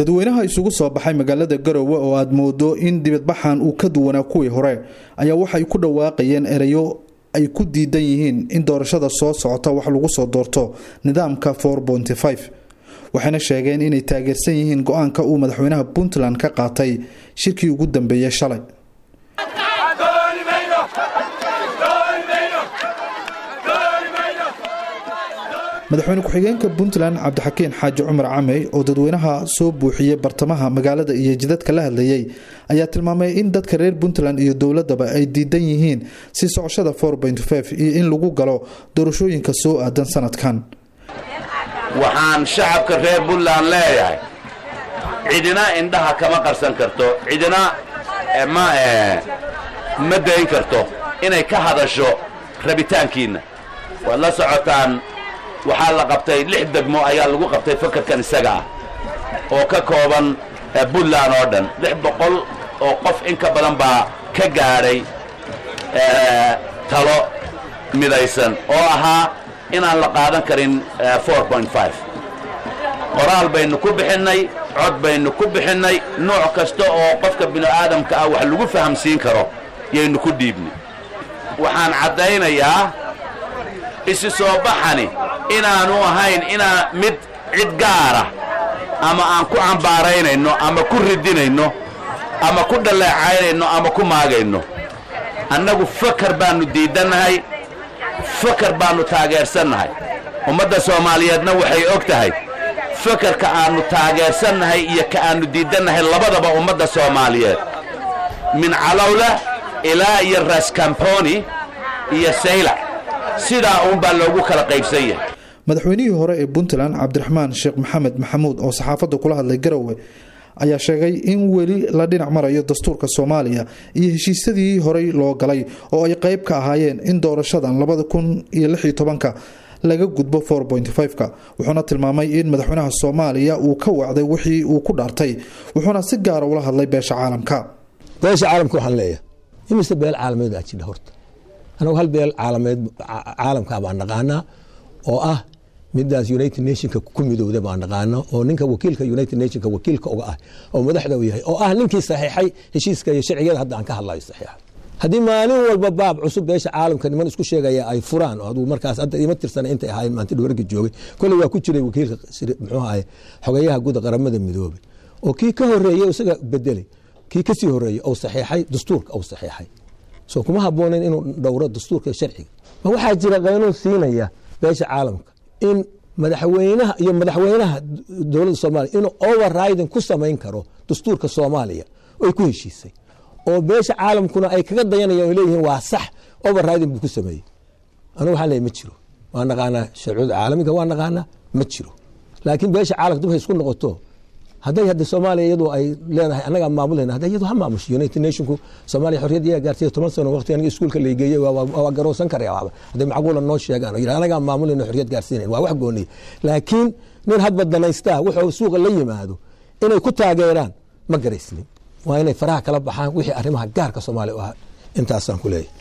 Dadweynaha isugu soo baxay magaalada Garowe oo aad moodo in dibadbaxan uu ka duwanaa kuwii hore ayaa waxay ku dhawaaqayeen erayo ay ku diidan yihiin in doorashada soo socota wax lagu soo doorto nidaamka 4.5, waxayna sheegeen inay taageersan yihiin go-aanka uu madaxweynaha Puntland ka qaatay shirkii ugu dambeeyey shalay. Madaxweyne ku-xigeenka Puntland Cabdixakiin Xaaji Cumar Camey oo dadweynaha soo buuxiyey bartamaha magaalada iyo jidadka la hadlayay ayaa tilmaamay in dadka reer Puntland iyo dowladaba ay diidan yihiin si socoshada 4.5 iyo in lagu galo doorashooyinka soo aadan sanadkan. Waxaan shacabka reer Puntland leeyahay, cidina indhaha kama qarsan karto, cidina ma dayn karto inay ka hadasho rabitaankiinna. Waad la socotaan, waxaa la qabtay 6 degmo ayaa lagu qabtay fakarkan isaga ah oo ka kooban Puntland oo dhan. 600 oo qof in ka badan baa ka gaadhay talo midaysan oo ahaa inaan la qaadan karin 4.5. Qoraal baynu ku bixinnay, cod baynu ku bixinnay, nooc kasta oo qofka binu aadamka ah wax lagu fahamsiin karo yaynu ku dhiibnay. Waxaan caddaynayaa isi soo baxani inaanu ahayn inaa mid cid gaara ama aan ku cambaaraynayno ama ku ridinayno ama ku dhaleecaynayno ama ku maagayno. Annagu fakar baannu diidannahay, fakar baannu taageersannahay. Ummadda Soomaaliyeedna waxay og tahay fakarka aannu taageersannahay iyo ka aannu diidannahay labadaba. Ummadda Soomaaliyeed min Calowla ilaa iyo Raskamponi iyo Saylac sidaa uunbaa loogu kala qaybsan yahay. Madaxweynihii hore ee Puntland Cabdiraxmaan Sheekh Maxamed Maxamuud oo saxaafadda kula hadlay Garowe ayaa sheegay in weli la dhinac marayo dastuurka Soomaaliya iyo heshiisyadii horey loo galay oo ay qayb ka ahaayeen in doorashadan 2016-ka laga gudbo 4.5-ka. Wuxuuna tilmaamay in madaxweynaha Soomaaliya uu ka wacday wixii uu ku dhaartay, wuxuuna si gaara ula hadlay beesha caalamka. Beesha caalamka waxaan leeyahay, imise beel caalameed aa jidha horta? Anagu hal beel caalameed caalamkaa baan naqaanaa oo ah midaas United Nationka ku midowda baan naqaano, oo ninka wakiilka United Nationka wakiilka uga ah oo madaxda u yahay oo ah ninkii saxiixay heshiiska iyo sharciyada hadda aan ka hadlayo saxiixa. Haddii maalin walba baab cusub beesha caalamka niman isku sheegaya ay furaan oo aduu markaas hadda ima tirsana intay ahaayeen maanta dhawarka joogay, kolley waa ku jiray wakiilka, muxuu ahaye, xogeyaha guud Qaramada Midoobay oo kii ka horeeyey isaga bedelay, kii kasii horeeyey oo saxiixay dastuurka oo saxiixay, soo kuma habboonayn inuu dhowro dastuurka iyo sharciga? Ma waxaa jira qaynuun siinaya beesha caalamka in madaxweynaha iyo madaxweynaha dowladda Soomaaliya inuu overriding ku samayn karo dastuurka Soomaaliya oy ku heshiisay, oo beesha caalamkuna ay kaga dayanayaan o leeyihiin waa sax, overriding buu ku sameeyey? Anigu waxaan leeyahy ma jiro. Waa naqaanaa sharciyada caalamiga, waa naqaanaa, ma jiro. Laakiin beesha caalamka dib hay isku noqoto. Hadday hadda Soomaaliya iyadu ay leedahay annagaa maamulayna, hadda iyadu ha maamusho. United Nationku Soomaaliya xorriyad iyaga gaarsiiya 10 sano. Waqti aniga iskuulka laygeeyey waa garoosan karaya waaba hadday macquula noo sheegaan oo yidhahda annagaa maamulayna, xorriyad gaarsiinayn, waa wax gooniya. Laakiin nin hadba danaystaa wuxuu suuqa la yimaado inay ku taageeraan ma garaysnin. Waa inay faraha kala baxaan wixii arrimaha gaarka Soomaaliya u ahaa. Intaasaan ku leeyahay.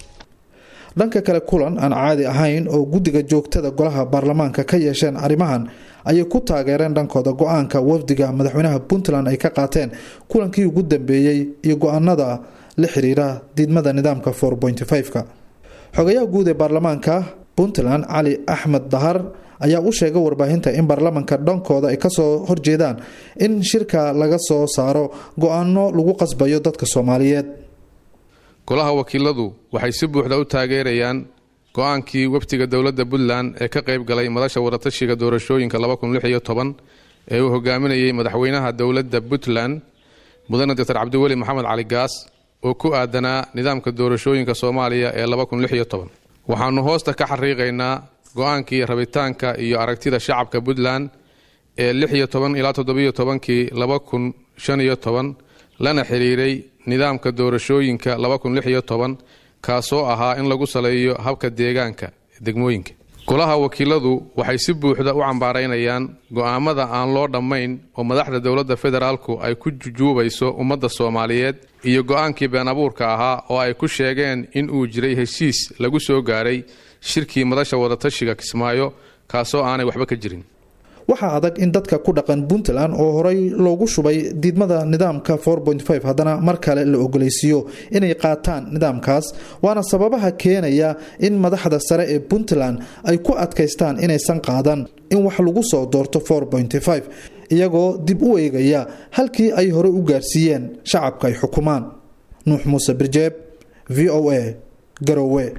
Dhanka kale, kulan aan caadi ahayn oo guddiga joogtada golaha baarlamaanka ka yeesheen arrimahan ayay ku taageereen dhankooda go-aanka wafdiga madaxweynaha Puntland ay ka qaateen kulankii ugu dambeeyey iyo go-aanada la xiriira diidmada nidaamka 4.5-ka. Xogayaha guud ee baarlamaanka Puntland Cali Axmed Dahar ayaa u sheegay warbaahinta in baarlamaanka dhankooda ay kasoo horjeedaan in shirka laga soo saaro go-aano lagu qasbayo dadka Soomaaliyeed. Golaha wakiiladu waxay si buuxda u taageerayaan go-aankii wafdiga dowladda Puntland ee ka qayb galay madasha wadatashiga doorashooyinka 2016 ee uu hogaaminayay madaxweynaha dowladda Puntland mudane Doctor Cabdiweli Maxamed Cali Gaas oo ku aadanaa nidaamka doorashooyinka Soomaaliya ee 2016. Waxaannu hoosta ka xariiqaynaa go-aankii rabitaanka iyo aragtida shacabka Puntland ee 16 ilaa 17-kii 2015 lana xiriiray nidaamka doorashooyinka 2016, kaasoo ahaa in lagu saleeyo habka deegaanka degmooyinka. Golaha wakiiladu waxay si buuxda u cambaaraynayaan go'aamada aan loo dhammayn oo madaxda dowladda federaalku ay ku jujuubayso ummadda Soomaaliyeed iyo go'aankii been abuurka ahaa oo ay ku sheegeen in uu jiray heshiis lagu soo gaaray shirkii madasha wadatashiga Kismaayo, kaasoo aanay waxba ka jirin. Waxaa adag in dadka ku dhaqan Puntland oo horey loogu shubay diidmada nidaamka haddana mar kale la ogolaysiiyo inay qaataan nidaamkaas, waana sababaha keenaya in madaxda sare ee Puntland ay ku adkaystaan inaysan qaadan in wax lagu soo doorto iyagoo dib u eegaya halkii ay hore u gaarsiiyeen shacabka ay xukumaan. Nuux Muuse Birjeeb, VOA, Garowe.